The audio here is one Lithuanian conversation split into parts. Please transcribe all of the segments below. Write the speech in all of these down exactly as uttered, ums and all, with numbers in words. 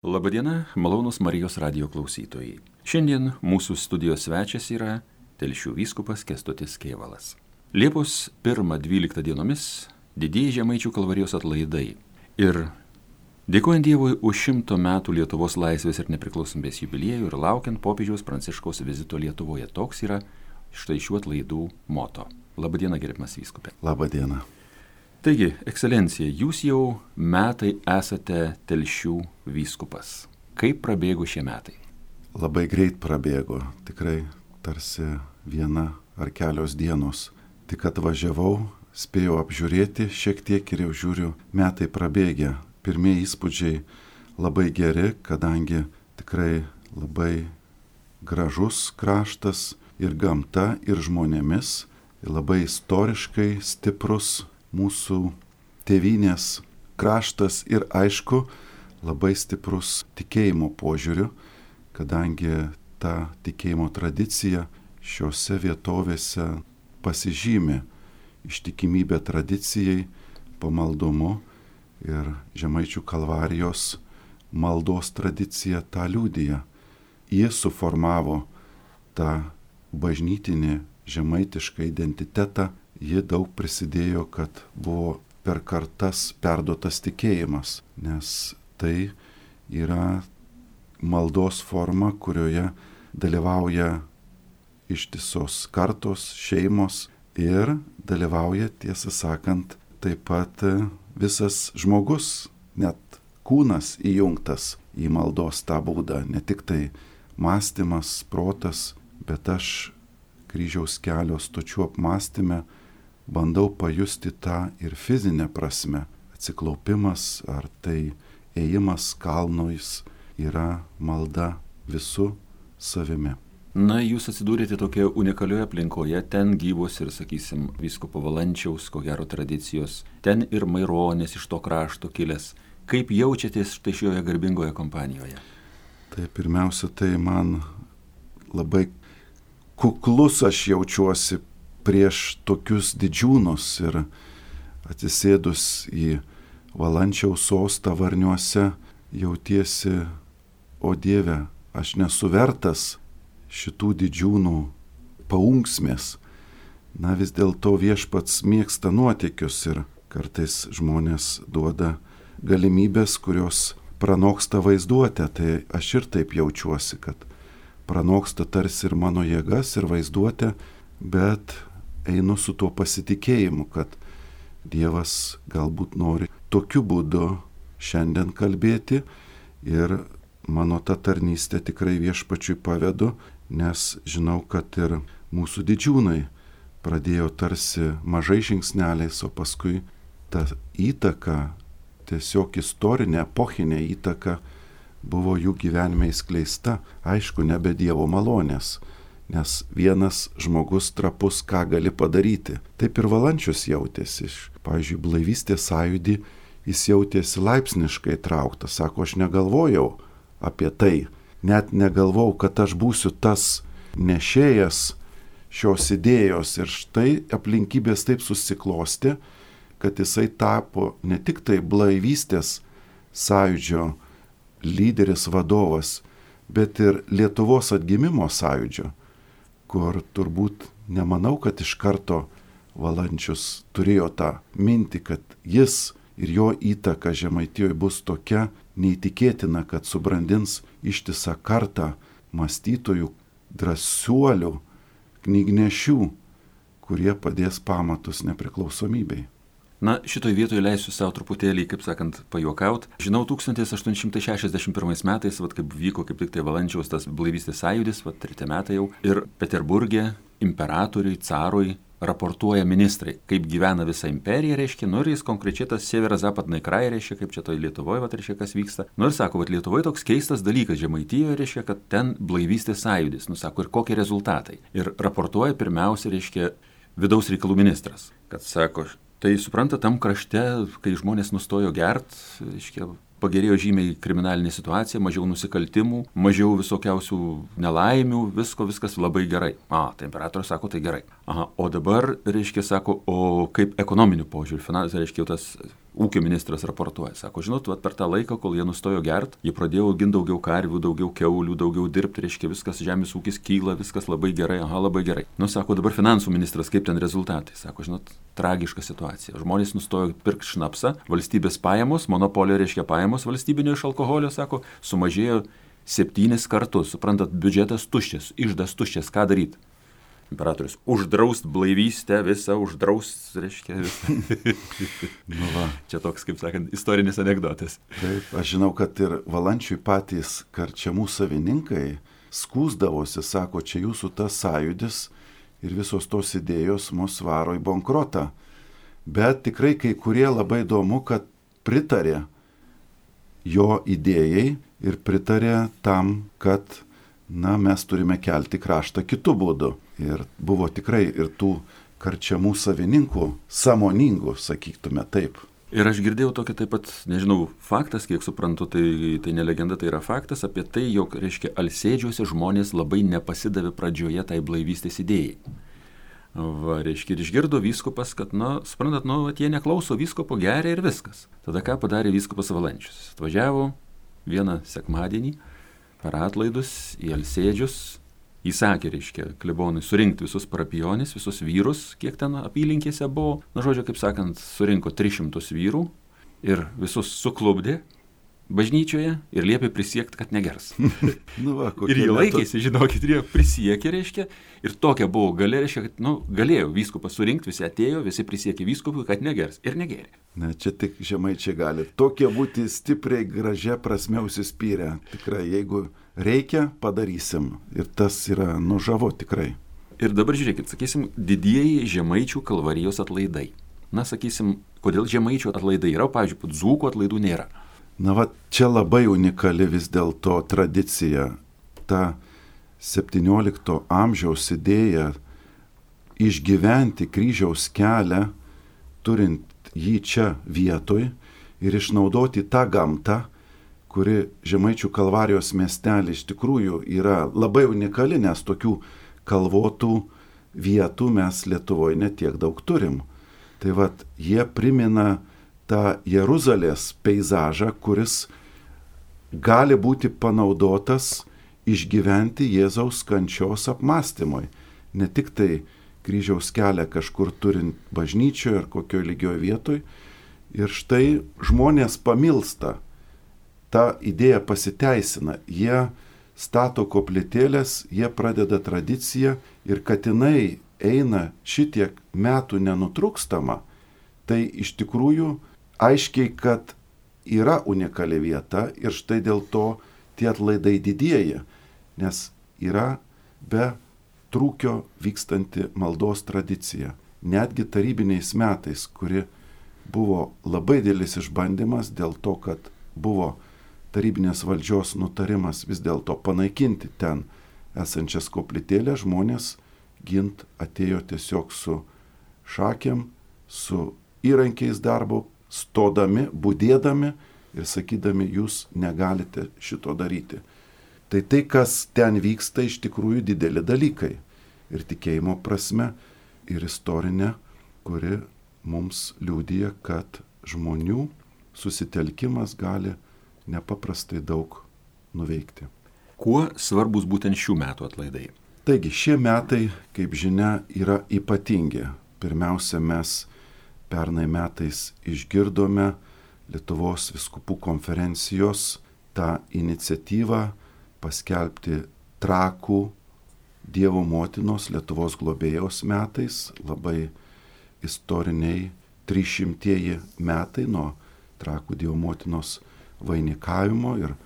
Labadiena, malonūs Marijos radijo klausytojai. Šiandien mūsų studijos svečias yra Telšių vyskupas Kęstutis Kėvalas. Liepos pirmą dvyliktą dienomis didieji Žemaičių kalvarijos atlaidai. Ir dėkojant Dievui už šimto metų Lietuvos laisvės ir nepriklausomybės jubiliejų ir laukiant popiežiaus Pranciškaus vizito Lietuvoje, toks yra štai šių atlaidų moto. Labadiena, gerbiamas vyskupė. Labadiena. Taigi, ekscelencija, jūs jau metai esate Telšių vyskupas. Kaip prabėgo šie metai? Labai greit prabėgo, tikrai tarsi viena ar kelios dienos. Tik atvažiavau, spėjau apžiūrėti šiek tiek ir jau žiūriu, metai prabėgę. Pirmieji įspūdžiai labai geri, kadangi tikrai labai gražus kraštas ir gamta, ir žmonėmis, ir labai istoriškai stiprus mūsų tėvynės kraštas ir aišku labai stiprus tikėjimo požiūriu, kadangi ta tikėjimo tradicija šiuose vietovėse pasižymi ištikimybė tradicijai, pamaldumu ir Žemaičių kalvarijos maldos tradicija tą liudija. Jie suformavo tą bažnytinį žemaitišką identitetą. Ji daug prisidėjo, kad buvo per kartas perduotas tikėjimas, nes tai yra maldos forma, kurioje dalyvauja ištisos kartos, šeimos ir dalyvauja, tiesą sakant, taip pat visas žmogus, net kūnas įjungtas į maldos tą būdą, ne tik tai mąstymas, protas, bet aš kryžiaus kelio stočių apmąstyme bandau pajusti tą ir fizinę prasme. Atsiklaupimas ar tai ėjimas kalnais yra malda visų savimi. Na, jūs atsidūrėte tokioje unikalioje aplinkoje, ten gyvos ir, sakysim, vyskupo Valančiaus, ko gero tradicijos, ten ir Maironis iš to krašto kilęs. Kaip jaučiatės štai šioje garbingoje kompanijoje? Tai pirmiausia, tai man labai kuklus aš jaučiuosi prieš tokius didžiūnus ir atsisėdus į Valančiaus sostą Varniuose jautiesi, o Dieve, aš nesu vertas šitų didžiūnų paunksmės. Na vis dėlto viešpats mėgsta nuotykius ir kartais žmonės duoda galimybės, kurios pranoksta vaizduotę. Tai aš ir taip jaučiuosi, kad pranoksta tarsi ir mano jėgas ir vaizduotę, bet einu su tuo pasitikėjimu, kad Dievas galbūt nori tokiu būdu šiandien kalbėti ir mano tą tarnystę tikrai viešpačiui pavedu, nes žinau, kad ir mūsų didžiūnai pradėjo tarsi mažai žingsneliais, o paskui ta įtaka, tiesiog istorinė, epochinė įtaka buvo jų gyvenime įskleista, aišku, nebe Dievo malonės. Nes vienas žmogus trapus ką gali padaryti. Taip ir Valančius jautėsi. Pavyzdžiui, blaivystės sąjūdį jis jautėsi laipsniškai trauktas. Sako, aš negalvojau apie tai. Net negalvojau, kad aš būsiu tas nešėjas šios idėjos. Ir štai aplinkybės taip susiklosti, kad jisai tapo ne tik tai blaivystės sąjūdžio lyderis, vadovas, bet ir Lietuvos atgimimo sąjūdžio, kur turbūt nemanau, kad iš karto Valančius turėjo tą mintį, kad jis ir jo įtaka Žemaitijoje bus tokia neįtikėtina, kad subrandins ištisą kartą mąstytojų, drąsuolių, knygnešių, kurie padės pamatus nepriklausomybei. Na, šitoj vietoje leisiu savo truputėlį, kaip sakant, pajuokaut. Žinau, tūkstantis aštuoni šimtai šešiasdešimt pirmais metais, vat kaip vyko kaip tik tai Valančiaus tas blaivystės sąjūdis, vat treti metai jau, ir Peterburge imperatoriui, carui raportuoja ministrai, kaip gyvena visa imperija, reiškia, nu ir jis konkrečiai tas Severo-Zapadnai kraj, reiškia, kaip čia toj Lietuvoje, vat reiškia, kas vyksta. Nu ir sako, vat Lietuvoje toks keistas dalykas, Žemaitijoje, reiškia, kad ten blaivystės sąjūdis, nu sako, ir kokie rezultatai. Ir raportuoja pirmiausia, reiškia, vidaus reikalų ministras, kad sako, tai supranta, tam krašte, kai žmonės nustojo gert, reiškia, pagerėjo žymiai kriminalinė situacija, mažiau nusikaltimų, mažiau visokiausių nelaimių, visko, viskas labai gerai. A, tai imperatorius sako, tai gerai. Aha, o dabar, reiškia, sako, o kaip ekonominiu požiūriu, finansai, reiškia, jau tas ūkio ministras raportuoja, sako, žinot, vat, per tą laiką, kol jie nustojo gert, jie pradėjo auginti daugiau karvių, daugiau keulių, daugiau dirbti, reiškia, viskas, žemės ūkis kyla, viskas labai gerai, aha, labai gerai. Nu, sako, dabar finansų ministras, kaip ten rezultatai, sako, žinot, tragiška situacija. Žmonės nustojo pirkti šnapsą, valstybės pajamos, monopolio reiškia pajamos valstybinio iš alkoholio, sako, sumažėjo septynis kartus, suprantat, biudžetas tuščias, iždas tuščias, ką daryti? Imperatorius, uždraust blaivystę visą, uždraust, reiškia visą. Nu va. Čia toks, kaip sakant, istorinis anekdotas. Taip, aš žinau, kad ir Valančiui patys karčiamų savininkai skųsdavosi, sako, čia jūsų tas sąjūdis ir visos tos idėjos mus varo į bankrotą. Bet tikrai kai kurie labai įdomu, kad pritarė jo idėjai ir pritarė tam, kad na, mes turime kelti kraštą kitų būdų. Ir buvo tikrai ir tų karčiamų savininkų sąmoningų, sakytume taip. Ir aš girdėjau tokį taip pat, nežinau, faktas, kiek suprantu, tai, tai ne legenda, tai yra faktas apie tai, jog, reiškia, Alsėdžiuose žmonės labai nepasidavė pradžioje tai blaivystės idėjai. Va, reiškia, ir išgirdo vyskupas, kad, na, suprantat, nu, jie neklauso vyskupo, geria ir viskas. Tada ką padarė vyskupas Valančius? Atvažiavo vieną sekmadienį per atlaidus į Alsėdžius, įsakė, reiškia, klebonui surinkti visus parapionis, visus vyrus, kiek ten apylinkėse buvo. Na, žodžiu, kaip sakant, surinko tris šimtus vyrų ir visus suklubdė bažnyčioje ir liepė prisiekti, kad negers. Nu va, ir jie laikėsi, žinokit, ir jie prisiekė, reiškia, ir tokia buvo galia, reiškia, kad, nu, galėjo vyskupas surinkti, visi atėjo, visi prisiekė vyskupui, kad negers, ir negerė. Ne, čia tik žemaičiai gali. Tokie būti stipriai, gražia prasme užsispyrę. Tikrai, jeigu reikia, padarysim. Ir tas yra nužavo tikrai. Ir dabar žiūrėkit, sakysim, didieji žemaičių Kalvarijos atlaidai. Na, sakysim, kodėl žemaičių atlaidai yra, pavyzdžiui, dzūkų atlaidų nėra. Na, va, čia labai unikali vis dėlto tradicija. Ta septyniolikto amžiaus idėja išgyventi kryžiaus kelią, turint jį čia vietoj ir išnaudoti tą gamtą, kuri Žemaičių Kalvarijos miestelį iš tikrųjų yra labai unikali, nes tokių kalvotų vietų mes Lietuvoje netiek daug turim. Tai vat, jie primena tą Jeruzalės peizažą, kuris gali būti panaudotas išgyventi Jėzaus kančios apmąstymui. Ne tik tai kryžiaus kelią kažkur turint bažnyčioje ar kokioje lygioje vietoje. Ir štai žmonės pamilsta. Ta idėja pasiteisina. Jie stato koplytėlės, jie pradeda tradiciją ir kad jinai eina šitiek metų nenutrūkstama, tai iš tikrųjų aiškiai, kad yra unikali vieta ir štai dėl to tie atlaidai didėja, nes yra be trūkio vykstanti maldos tradicija. Netgi tarybiniais metais, kuri buvo labai didelis išbandymas dėl to, kad buvo tarybinės valdžios nutarimas vis dėlto panaikinti ten esančias koplytėlės, žmonės gint atėjo tiesiog su šakėm, su įrankiais darbo, stodami, budėdami ir sakydami, jūs negalite šito daryti. Tai tai, kas ten vyksta, iš tikrųjų dideli dalykai. Ir tikėjimo prasme, ir istorinė, kuri mums liudija, kad žmonių susitelkimas gali nepaprastai daug nuveikti. Kuo svarbus būtent šių metų atlaidai? Taigi, šie metai, kaip žinia, yra ypatingi. Pirmiausia, mes pernai metais išgirdome Lietuvos vyskupų konferencijos tą iniciatyvą paskelbti Trakų Dievo motinos Lietuvos globėjos metais, labai istoriniai trišimtieji metai nuo Trakų Dievo motinos vainikavimo ir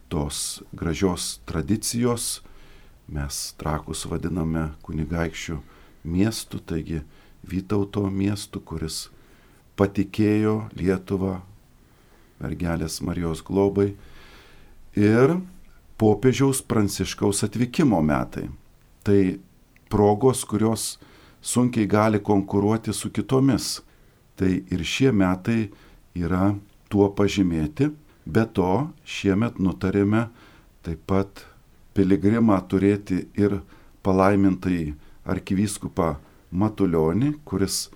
tos gražios tradicijos. Mes Trakus vadiname kunigaikščių miestu, taigi Vytauto miestu, kuris patikėjo Lietuvą mergelės Marijos globai, ir popiežiaus Pranciškaus atvykimo metai. Tai progos, kurios sunkiai gali konkuruoti su kitomis. Tai ir šie metai yra tuo pažymėti. Be to, šiemet nutarėme taip pat piligrimą turėti ir palaimintąjį arkivyskupą Matulionį, kuris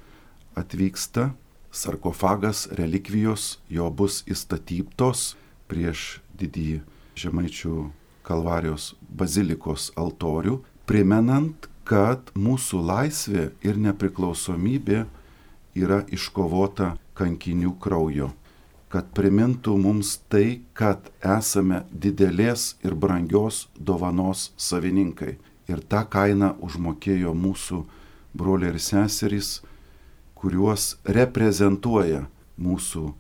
atvyksta sarkofagas, relikvijos jo bus įstatytos prieš didįjį Žemaičių Kalvarijos bazilikos altorių, primenant, kad mūsų laisvė ir nepriklausomybė yra iškovota kankinių kraujo, kad primintų mums tai, kad esame didelės ir brangios dovanos savininkai. Ir tą kainą užmokėjo mūsų broliai ir seserys, kuriuos reprezentuoja mūsų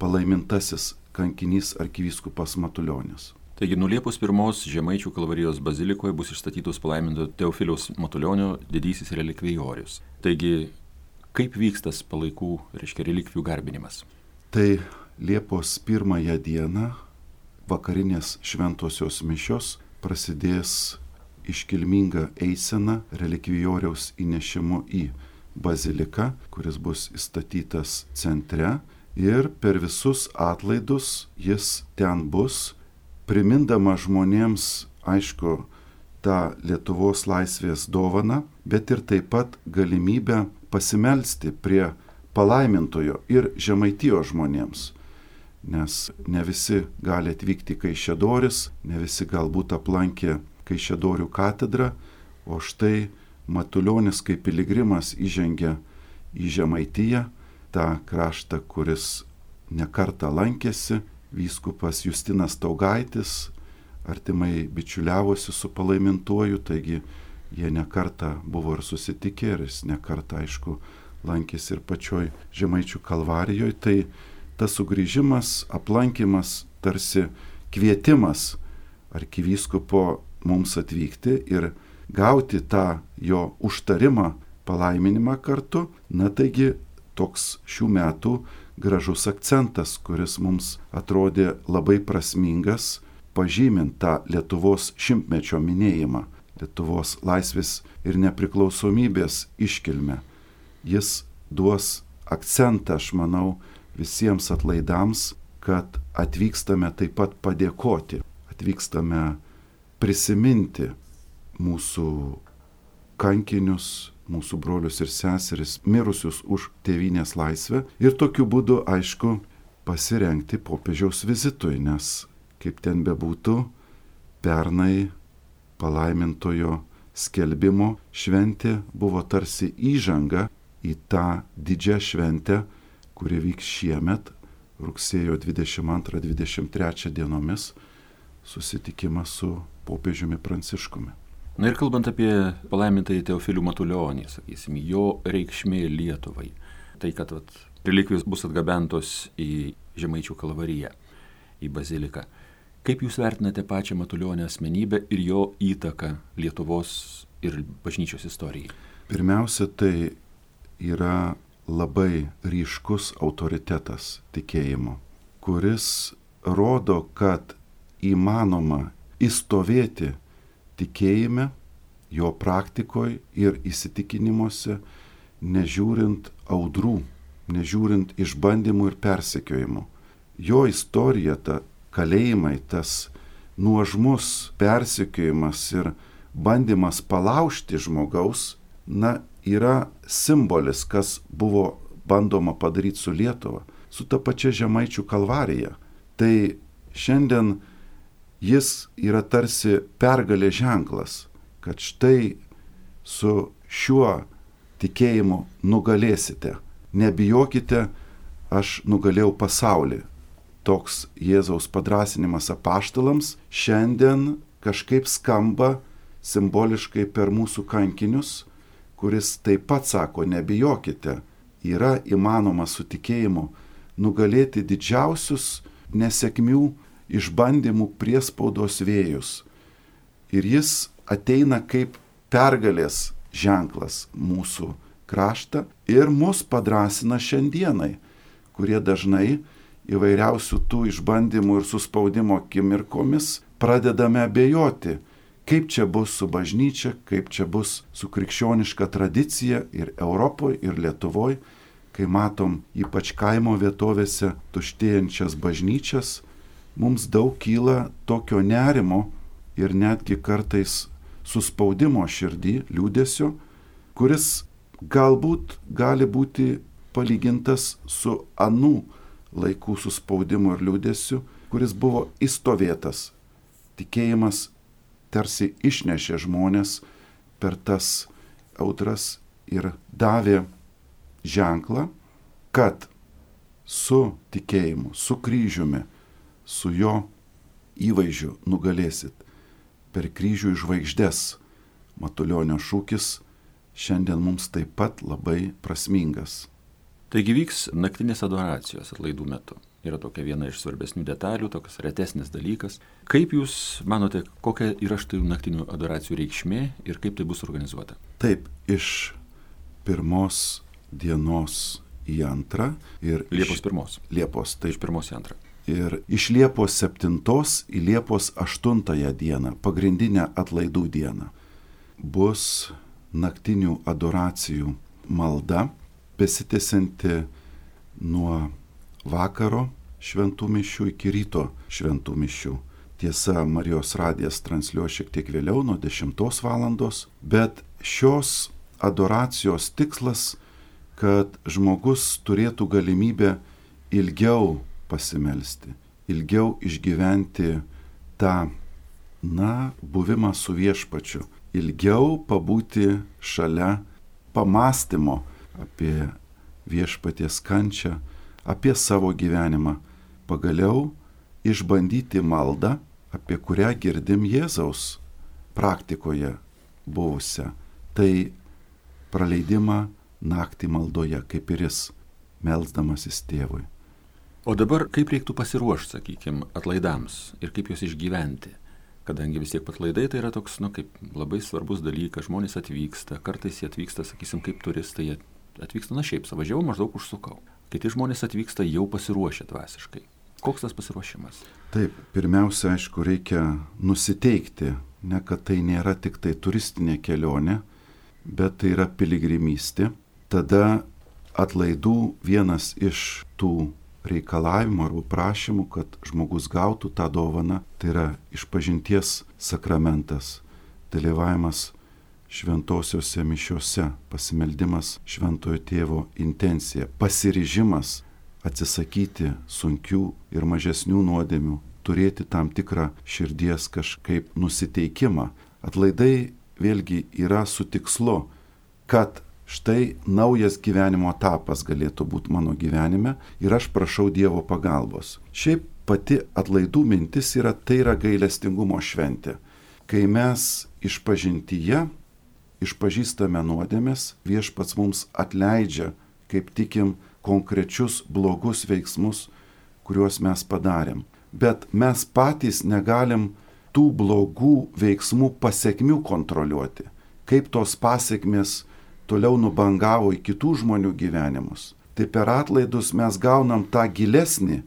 palaimintasis kankinys arkivyskupas Matulionis. Taigi nuo Liepos pirmos Žemaičių Kalvarijos bazilikoje bus išstatytos palaiminto Teofiliaus Matulionio didysis relikvijorius. Taigi, kaip vyks tas palaikų, reiškia, relikvijų garbinimas? Tai Liepos pirmąją dieną vakarinės šventosios mišios prasidės iškilminga eisena relikvijoriaus įnešimu į baziliką, kuris bus įstatytas centre, ir per visus atlaidus jis ten bus, primindama žmonėms, aišku, tą Lietuvos laisvės dovaną, bet ir taip pat galimybę pasimelsti prie palaimintojo ir Žemaitijos žmonėms. Nes ne visi gali atvykti į Kaišiadoris, ne visi galbūt aplankė Kaišiadorių katedrą, o štai Matulionis kaip piligrimas įžengia į Žemaitiją, tą kraštą, kuris nekartą lankėsi. Vyskupas Justinas Taugaitis artimai bičiuliavosi su palaimintuoju, taigi jie nekartą buvo ir susitikę, ir jis nekartą, aišku, lankėsi ir pačioj Žemaičių Kalvarijoje. Tai tas sugrįžimas, aplankimas, tarsi kvietimas arkivyskupo mums atvykti ir gauti tą jo užtarimą, palaiminimą kartu. Na taigi toks šių metų gražus akcentas, kuris mums atrodė labai prasmingas, pažymint tą Lietuvos šimtmečio minėjimą, Lietuvos laisvės ir nepriklausomybės iškilmę. Jis duos akcentą, aš manau, visiems atlaidams, kad atvykstame taip pat padėkoti, atvykstame prisiminti mūsų kankinius, mūsų brolius ir seseris, mirusius už tėvynės laisvę, ir tokiu būdu, aišku, pasirengti popiežiaus vizitui, nes, kaip ten bebūtų, pernai palaimintojo skelbimo šventė buvo tarsi įžanga į tą didžią šventę, kuri vyks šiemet, rugsėjo dvidešimt antrą dvidešimt trečią dienomis, susitikimas su popiežiumi Pranciškumi. Na ir kalbant apie palaimintąjį Teofilių Matulionį, sakysim, jo reikšmė Lietuvai, tai kad vat, relikvijos bus atgabentos į Žemaičių Kalvariją, į baziliką. Kaip jūs vertinate pačią Matulionio asmenybę ir jo įtaką Lietuvos ir bažnyčios istorijai? Pirmiausia, tai yra labai ryškus autoritetas tikėjimo, kuris rodo, kad įmanoma įstovėti tikėjime, jo praktikoje ir įsitikinimuose, nežiūrint audrų, nežiūrint išbandymų ir persekiojimų. Jo istorija, ta kalėjimai, tas nuožmus persekiojimas ir bandymas palaužti žmogaus, na, yra simbolis, kas buvo bandoma padaryti su Lietuva, su ta pačia Žemaičių Kalvarija. Tai šiandien jis yra tarsi pergalė ženklas, kad štai su šiuo tikėjimu nugalėsite. Nebijokite, aš nugalėjau pasaulį. Toks Jėzaus padrąsinimas apaštalams šiandien kažkaip skamba simboliškai per mūsų kankinius, kuris taip pat sako, nebijokite, yra įmanoma su tikėjimu nugalėti didžiausius nesėkmių, išbandymų priespaudos vėjus. Ir jis ateina kaip pergalės ženklas mūsų kraštą ir mus padrąsina šiandienai, kurie dažnai įvairiausių tų išbandymų ir suspaudimo akimirkomis pradedame abejoti, kaip čia bus su bažnyčia, kaip čia bus su krikščioniška tradicija ir Europoje, ir Lietuvoje, kai matom ypač kaimo vietovėse tuštėjančias bažnyčias, mums daug kyla tokio nerimo ir netgi kartais suspaudimo širdį, liūdesio, kuris galbūt gali būti palygintas su anų laikų suspaudimu ir liūdėsiu, kuris buvo įstovėtas. Tikėjimas tarsi išnešė žmonės per tas audras ir davė ženklą, kad su tikėjimu, su kryžiumi, su jo įvaizdžiu nugalėsit. Per kryžių į žvaigždes. Matulionio šūkis šiandien mums taip pat labai prasmingas. Taigi vyks naktinės adoracijos atlaidų metu. Yra tokia viena iš svarbesnių detalių, toks retesnis dalykas. Kaip Jūs manote, kokia yra štai naktinių adoracijų reikšmė ir kaip tai bus organizuota? Taip, iš pirmos dienos į antrą. Ir Liepos iš pirmos. Liepos, taip. Iš pirmos į antrą. Ir iš Liepos septintos į Liepos aštuntąją dieną, pagrindinę atlaidų dieną, bus naktinių adoracijų malda, besitęsianti nuo vakaro šventų mišių iki ryto šventų mišių. Tiesa, Marijos radijas transliuos šiek tiek vėliau, nuo dešimtos valandos, bet šios adoracijos tikslas, kad žmogus turėtų galimybę ilgiau pasimelsti, ilgiau išgyventi tą, na, buvimą su viešpačiu, ilgiau pabūti šalia pamąstymo apie viešpaties kančią, apie savo gyvenimą, pagaliau išbandyti maldą, apie kurią girdim Jėzaus praktikoje buvusią. Tai praleidimą naktį maldoje, kaip ir jis, melsdamasis tėvui. O dabar kaip reiktų pasiruošti, sakykime, atlaidams ir kaip juos išgyventi? Kadangi vis tiek atlaidai tai yra toks, nu, kaip labai svarbus dalykas, žmonės atvyksta, kartais jie atvyksta, sakysim, kaip turistai, jie atvyksta, na šiaip, savažiavau, maždaug užsukau. Kiti žmonės atvyksta jau pasiruošę dvasiškai. Koks tas pasiruošimas? Taip, pirmiausia, aišku, reikia nusiteikti, ne kad tai nėra tik tai turistinė kelionė, bet tai yra piligrimystė. Tada atlaidų vienas iš tų reikalavimų arba prašymų, kad žmogus gautų tą dovaną, tai yra išpažinties sakramentas, dalyvavimas šventosiuose mišiuose, pasimeldimas šventojo tėvo intencija, pasiryžimas atsisakyti sunkių ir mažesnių nuodėmių, turėti tam tikrą širdies kažkaip nusiteikimą. Atlaidai vėlgi yra su tikslu, kad štai naujas gyvenimo etapas galėtų būti mano gyvenime ir aš prašau Dievo pagalbos. Šiaip pati atlaidų mintis yra, tai yra gailestingumo šventė. Kai mes išpažintyje išpažįstame nuodėmes, viešpats mums atleidžia, kaip tikim, konkrečius blogus veiksmus, kuriuos mes padarėm. Bet mes patys negalim tų blogų veiksmų pasekmių kontroliuoti. Kaip tos pasekmės toliau nubangavo į kitų žmonių gyvenimus. Tai per atlaidus mes gaunam tą gilesnį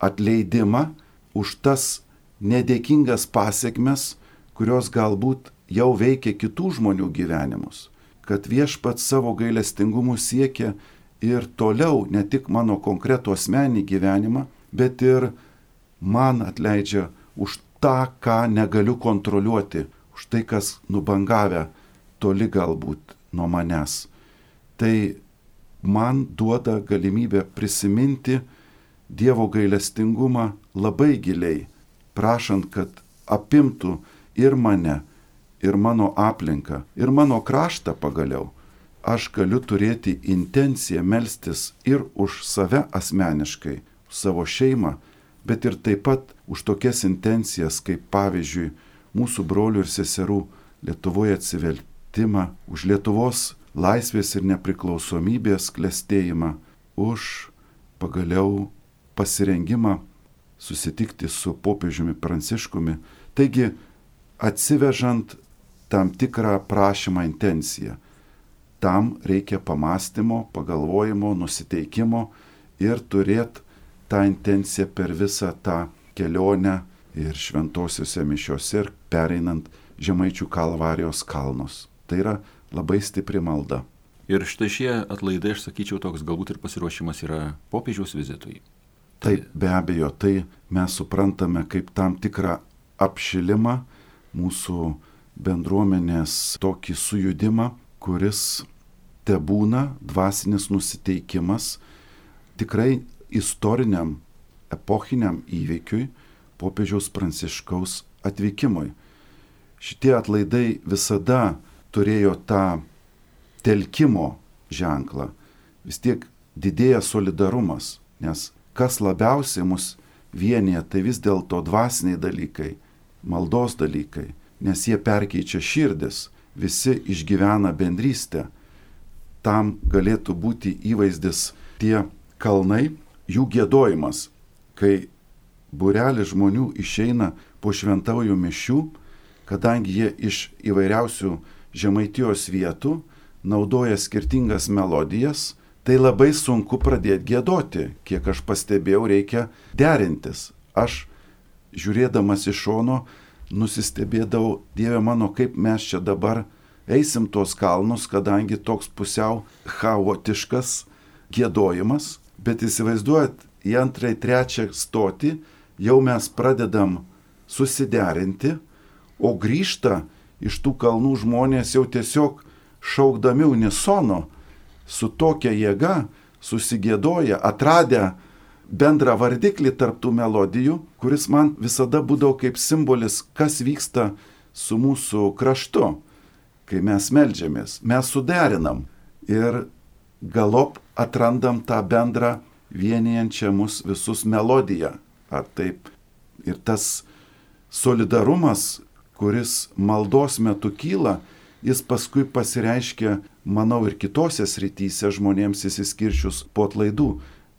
atleidimą už tas nedėkingas pasekmes, kurios galbūt jau veikia kitų žmonių gyvenimus. Kad viešpats savo gailestingumu siekia ir toliau ne tik mano konkretų asmenį gyvenimą, bet ir man atleidžia už tą, ką negaliu kontroliuoti, už tai, kas nubangavę toli galbūt nuo manęs. Tai man duoda galimybę prisiminti Dievo gailestingumą labai giliai, prašant, kad apimtų ir mane, ir mano aplinką, ir mano kraštą pagaliau. Aš galiu turėti intenciją melstis ir už save asmeniškai, už savo šeimą, bet ir taip pat už tokias intencijas, kaip pavyzdžiui mūsų brolių ir seserų Lietuvoje atsivertimą, už Lietuvos laisvės ir nepriklausomybės klestėjimą, už pagaliau pasirengimą susitikti su popiežiumi Pranciškumi. Taigi, atsivežant tam tikrą prašymą intenciją, tam reikia pamąstymo, pagalvojimo, nusiteikimo ir turėti tą intenciją per visą tą kelionę ir šventosiuose mišiuose ir pereinant Žemaičių Kalvarijos kalnus. Tai yra labai stipri malda. Ir štai šie atlaidai, aš sakyčiau, toks galbūt ir pasiruošimas yra popiežiaus vizitui. Taip, be abejo, tai mes suprantame kaip tam tikrą apšilimą, mūsų bendruomenės tokį sujudimą, kuris te būna dvasinis nusiteikimas tikrai istoriniam, epochiniam įvykiui, popiežiaus Pranciškaus atvykimui. Šitie atlaidai visada turėjo tą telkimo ženklą. Vis tiek didėja solidarumas, nes kas labiausiai mus vienyje, tai vis dėlto dvasiniai dalykai, maldos dalykai, nes jie perkeičia širdis, visi išgyvena bendrystę. Tam galėtų būti įvaizdis tie kalnai, jų giedojimas, kai būrelis žmonių išeina po šventųjų mišių, kadangi jie iš įvairiausių Žemaitijos vietų naudoja skirtingas melodijas, tai labai sunku pradėti giedoti. Kiek aš pastebėjau, reikia derintis. Aš, žiūrėdamas iš šono, nusistebėdavau, Dieve mano, kaip mes čia dabar eisim tuos kalnus, kadangi toks pusiau chaotiškas giedojimas, bet įsivaizduojat, į antrąjį, trečią stotį jau mes pradedam susiderinti, o grįžta iš tų kalnų žmonės jau tiesiog šaukdami unisono, su tokia jėga susigiedoja, atradę bendrą vardiklį tarp tų melodijų, kuris man visada būdavo kaip simbolis, kas vyksta su mūsų kraštu, kai mes meldžiamės. Mes suderinam ir galop atrandam tą bendrą vienijančią mus visus melodiją. Ar taip? Ir tas solidarumas, kuris maldos metu kyla, jis paskui pasireiškia, manau, ir kitose srityse žmonėms įsiskirčius po atlaidų.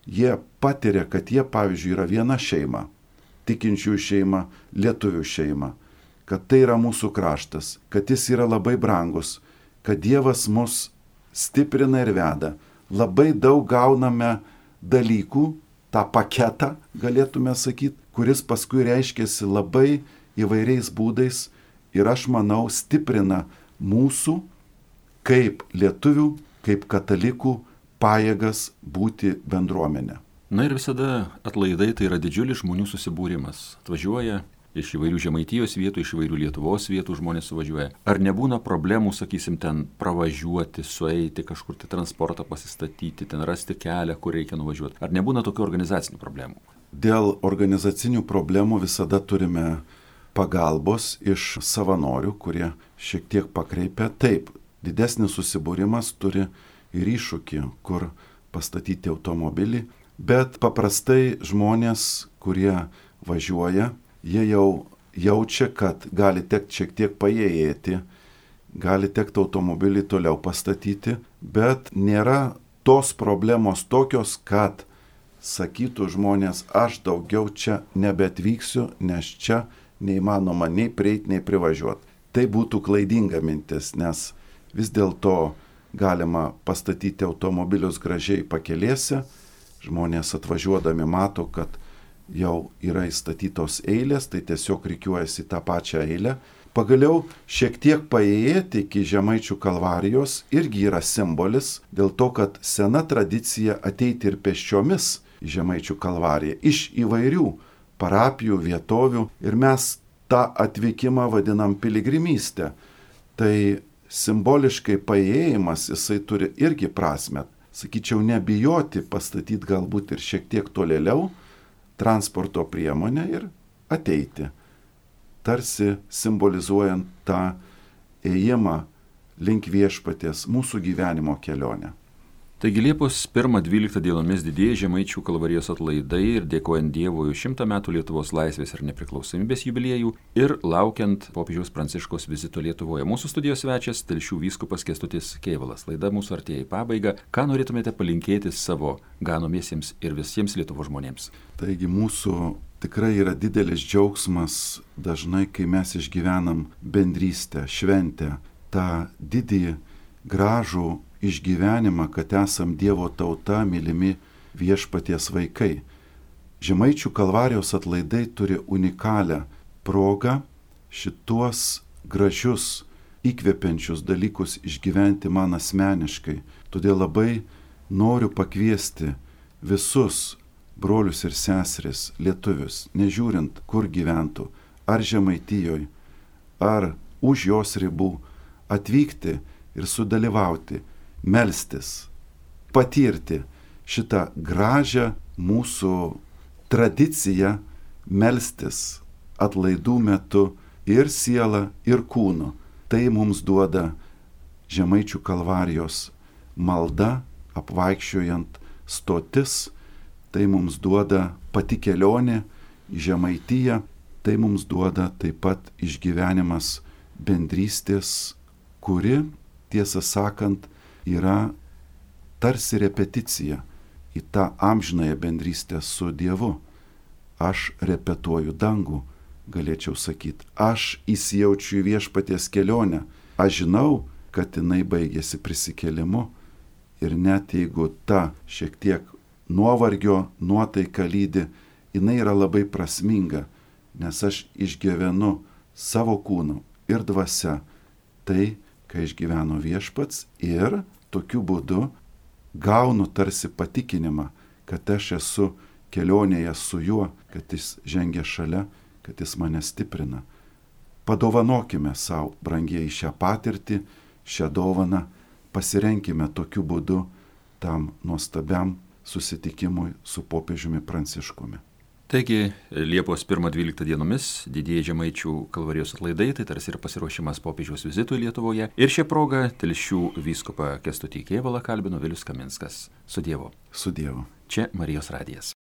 Jie patiria, kad jie, pavyzdžiui, yra viena šeima, tikinčiųjų šeima, lietuvių šeima, kad tai yra mūsų kraštas, kad jis yra labai brangus, kad Dievas mus stiprina ir veda. Labai daug gauname dalykų, tą paketą, galėtume sakyti, kuris paskui reiškiasi labai įvairiais būdais ir aš manau stiprina mūsų kaip lietuvių, kaip katalikų pajėgas būti bendruomenė. Na ir visada atlaidai tai yra didžiulis žmonių susibūrimas. Atvažiuoja iš įvairių Žemaitijos vietų, iš įvairių Lietuvos vietų žmonės suvažiuoja. Ar nebūna problemų, sakysim, ten pravažiuoti, sueiti, kažkur tai transportą pasistatyti, ten rasti kelią, kur reikia nuvažiuoti? Ar nebūna tokių organizacinių problemų? Dėl organizacinių problemų visada turime pagalbos iš savanorių, kurie šiek tiek pakreipia. Taip, didesnis susibūrimas turi ir iššūkį, kur pastatyti automobilį, bet paprastai žmonės, kurie važiuoja, jie jau jaučia, kad gali tekti šiek tiek paėjėti, gali tekti automobilį toliau pastatyti, bet nėra tos problemos tokios, kad sakytų žmonės, aš daugiau čia nebeatvyksiu, nes čia neįmanoma nei prieiti, nei privažiuoti. Tai būtų klaidinga mintis, nes vis dėlto galima pastatyti automobilius gražiai pakelėse, žmonės atvažiuodami mato, kad jau yra įstatytos eilės, tai tiesiog rikiuojasi tą pačią eilę. Pagaliau šiek tiek paėjėti iki Žemaičių kalvarijos irgi yra simbolis, dėl to, kad sena tradicija ateiti ir pėsčiomis į Žemaičių kalvariją iš įvairių parapijų, vietovių ir mes tą atvykimą vadinam piligrimystę. Tai simboliškai paėjimas, jisai turi irgi prasmę. Sakyčiau, nebijoti pastatyti galbūt ir šiek tiek tolėliau transporto priemonę ir ateiti. Tarsi simbolizuojant tą ėjimą link viešpaties mūsų gyvenimo kelionę. Taigi Liepos pirmą dvyliktą dienomis didieji Žemaičių kalvarijos atlaidai ir dėkojant Dievui už šimtą metų Lietuvos laisvės ir nepriklausomybės jubiliejų ir laukiant popiežiaus Pranciškaus vizito Lietuvoje. Mūsų studijos svečias Telšių vyskupas Kęstutis Kėvalas. Laida mūsų artėja į pabaigą. Ką norėtumėte palinkėti savo ganomiesiems ir visiems Lietuvos žmonėms? Taigi mūsų tikrai yra didelis džiaugsmas dažnai, kai mes išgyvenam bendrystę, šventę, tą didį, gražų išgyvenimą, kad esam Dievo tauta, mylimi viešpaties vaikai. Žemaičių kalvarijos atlaidai turi unikalią progą šituos gražius, įkvepiančius dalykus išgyventi man asmeniškai. Todėl labai noriu pakviesti visus brolius ir seseris, lietuvius, nežiūrint, kur gyventų, ar Žemaitijoje, ar už jos ribų, atvykti ir sudalyvauti melstis, patirti šitą gražią mūsų tradiciją melstis atlaidų metu ir sielą, ir kūnu. Tai mums duoda Žemaičių kalvarijos malda, apvaikščiojant stotis, tai mums duoda pati kelionė į Žemaitiją, tai mums duoda taip pat išgyvenimas bendrystės, kuri, tiesą sakant, yra tarsi repeticija į tą amžinąją bendrystę su Dievu. Aš repetuoju dangų, galėčiau sakyti. Aš įsijaučiu į viešpaties kelionę. Aš žinau, kad jinai baigėsi prisikėlimu. Ir net jeigu ta šiek tiek nuovargio nuotaika lydi, jinai yra labai prasminga, nes aš išgyvenu savo kūnu ir dvasia tai, ką išgyveno viešpats, ir tokiu būdu gaunu tarsi patikinimą, kad aš esu kelionėje su juo, kad jis žengia šalia, kad jis mane stiprina. Padovanokime savo, brangieji, šią patirtį, šią dovaną, pasirenkime tokiu būdu tam nuostabiam susitikimui su popiežiumi Pranciškumi. Taigi, Liepos pirmą dvyliktą dienomis didieji Žemaičių kalvarijos atlaidai, tai tarsi ir pasiruošimas popiežiaus vizitui Lietuvoje. Ir šią progą Telšių vyskupą Kęstutį Kėvalą kalbino Vilius Kaminskas. Su Dievu. Su Dievu. Čia Marijos radijas.